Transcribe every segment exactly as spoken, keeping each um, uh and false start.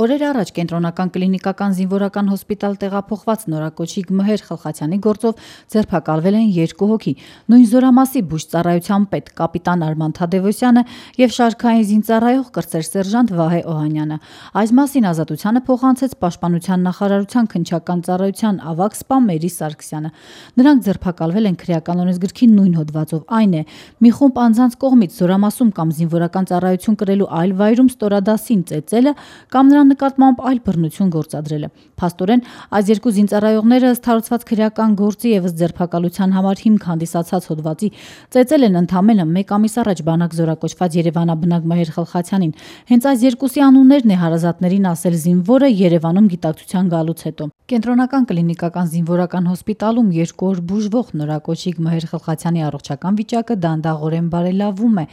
Օրեր առաջ կենտրոնական կլինիկական զինվորական հոսպիտալ տեղափոխված նորակոչիկ Մհեր Խլխացյանի գործով ձերբակալվել են երկու հոգի՝ նույն զորամասի բուժծառայության պետ կապիտան Արման Թադևոսյանը եւ շարքային զինծառայող կրտսեր սերժանտ Վահե Օհանյանը։ Այս մասին Ազատությանը փոխանցեց Պաշտպանության նախարարության քննչական ծառայության ավագ սպա Մերի Սարգսյանը։ Նրանք ձերբակալվել են քրեական օրենսգրքի նույն հոդվածով, այն է՝ մի խումբ անձանց կողմից զորամասում կամ զինվորական ծառայություն կրելու այլ վայրում ստորադասին ծեծելը կամ նրան նկատմամբ այլ բռնություն գործադրելը։ Փաստորեն, այս երկու զինծառայողները ըստ հարուցված քրեական գործի եւ ըստ ձերբակալության համար հիմք հանդիսացած հոդվածի ծեծել են ընդամենը մեկ ամիս առաջ բանակ զորակոչված Երևանաբնակ Մհեր Խլխացյանին։ Հենց այս երկուսի անուններն է հարազատներին ասել զինվորը Երևանում գիտակցության գալուց հետո։ Կենտրոնական կլինիկական զինվորական հոսպիտալում երկու օր բուժվող նորակոչիկ Մհեր Խլխացյանի առողջական վիճակը դանդաղորեն բարելավում է։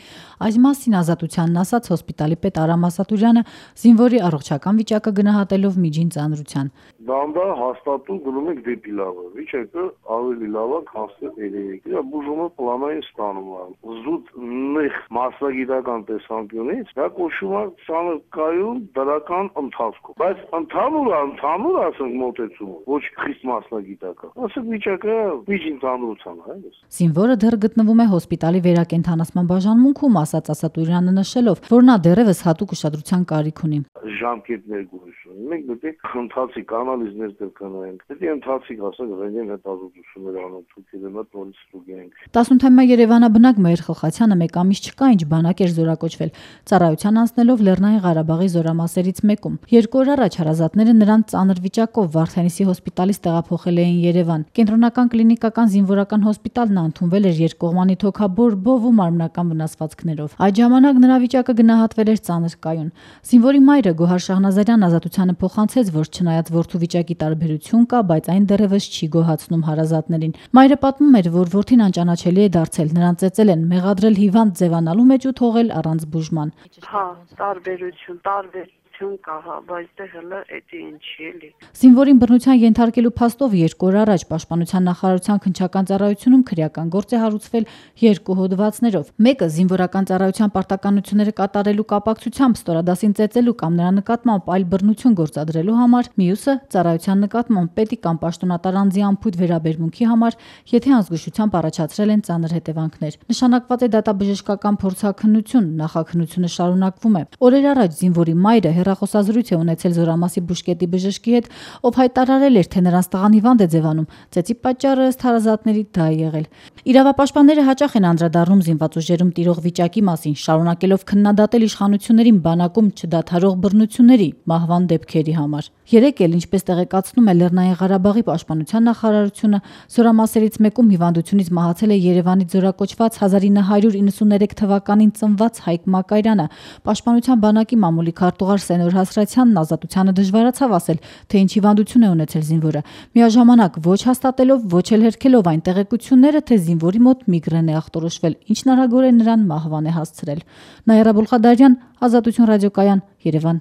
Այս մասին Ազատությանն ասաց հոսպիտալի պետ Արամ Ասատուրյանը զինվորի առողջական վիճակը գնահատելով միջին ծանրության։ Դանդաղ հաստատում գնում ենք դեպի լավը, վիճակը ավելի լավ է, քան երևի։ Բուժումը պլանային ստանում է։ Զուտ նեղ մասնագիտական տեսանկյունից դա կոչվում է սանրկայուն դրական ընթացքում։ Բայց ընդհանուր ընդհանուր ասենք մոտեցումը, ոչ խիստ մասնագիտական։ Ասենք վիճակը միջին ծանրության է, այլս։ Զինվորը դեռ գտնվում է հոսպիտալի վերակենդանացման բաժանմունքում, ասաց Ասատուրյանը նշելով, որ նա դեռևս հատուկ ուշադրության կարիք ունի։ Ժամկետներ գույսում։ Մենք պետք է ընթացիկ անալիզներ կրկնենք։ Պետք է ընթացիկ ասենք ռենտգեն հետազոտություններ անենք, ցույցերը մոտ նորից ստուգենք։ տասնութամյա Երևանաբնակ Մհեր Խլխացյանը մեկ ամիս չկա ինչ բանակ էր զորակոչվել, ծառայության անցնելով Լեռնային Ղարաբաղի զորամասերից մեկում։ Երկու օր առաջ հարազատները նրան ծանր վիճակով Վարդենիսի հոսպիտալից տեղափոխել էին Երևան։ Կենտրոնական կլինիկական զինվորական հոսպիտալն ընդունվել էր երկկողմանի թոքաբոր բով ու մարմնական վնասվածքներով։ Այդ ժամանակ նրա վիճակը գնահատվել էր ծանր կայուն։ Զինվորի մայրը Գոհար Շահնազարյան Ազատությանը փոխանցեց, որ չնայած որդու վիճակի տարբերություն կա, բայց այն դեռևս չի գոհացնում հարազատներին։ Մայրը պատմում էր, որ որդին անճանաչելի է դարձել, նրան ծեծել են, մեղադրել հիվանդ ձևանալու մեջ ու թողել առանց բուժման։ Հա, տարբերություն, տարբեր կա, հա, բայց դե հələ էդի ինչի էլի։ Զինվորին բռնության ենթարկելու փաստով երկու օր առաջ Պաշտպանության նախարարության քննչական ծառայությունում քրեական գործ է հարուցվել երկու հոդվածներով։ Մեկը զինվորական ծառայության պարտականությունները կատարելու կապակցությամբ ստորադասին ծեծելու կամ նրա նկատմամբ այլ բռնություն գործադրելու համար, մյուսը ծառայության նկատմամբ պետի կամ պաշտոնատար անձի անփույթ վերաբերմունքի համար, եթե անզգուշությամբ առաջացրել են ծանր հետևանքներ։ Նշանակված է դատաբժշկական փորձաքննություն, նախաքննությունը շարունակվում է։ Օրեր առաջ զինվորի մայրը հեռախոսազրույց է ունեցել զորամասի բուժկետի բժշկի հետ, ով հայտարարել էր, թե նրանց տղան հիվանդ է ձևանում։ Ծեծի պատճառը ըստ հարազատների դա է եղել։ Իրավապաշտպանները հաճախ են անդրադառնում զինված ուժերում տիրող վիճակի մասին, շարունակելով քննադատել իշխանություններին բանակում չդադարող բռնությունների, մահվան դեպքերի համար։ Երեկ էլ, ինչպես տեղեկացնում է Լեռնային Ղարաբաղի պաշտպանության նախարարությունը, զորամասերից մեկում հիվանդությունից մահացել է Երևանից զորակոչված հազար ինը հարյուր իննսուններեք թվականին ծնված Հայկ Մակարյանը։ Պաշտպանության բանակի մամուլի քարտուղար Սենոր Հասրացյանն Ազատությանը դժվարացավ ասել, թե ինչ հիվանդություն է ունեցել զինվորը, միաժամանակ ոչ հաստատելով, ոչ էլ հերքելով այն տեղեկությունները, թե զինվորի մոտ միգրեն է ախտորոշվել, ինչն արագորեն նրան մահվան է հասցրել։ Նաիրա Բոլխադարյան, Ազատություն ռադիոկայան, Երևան։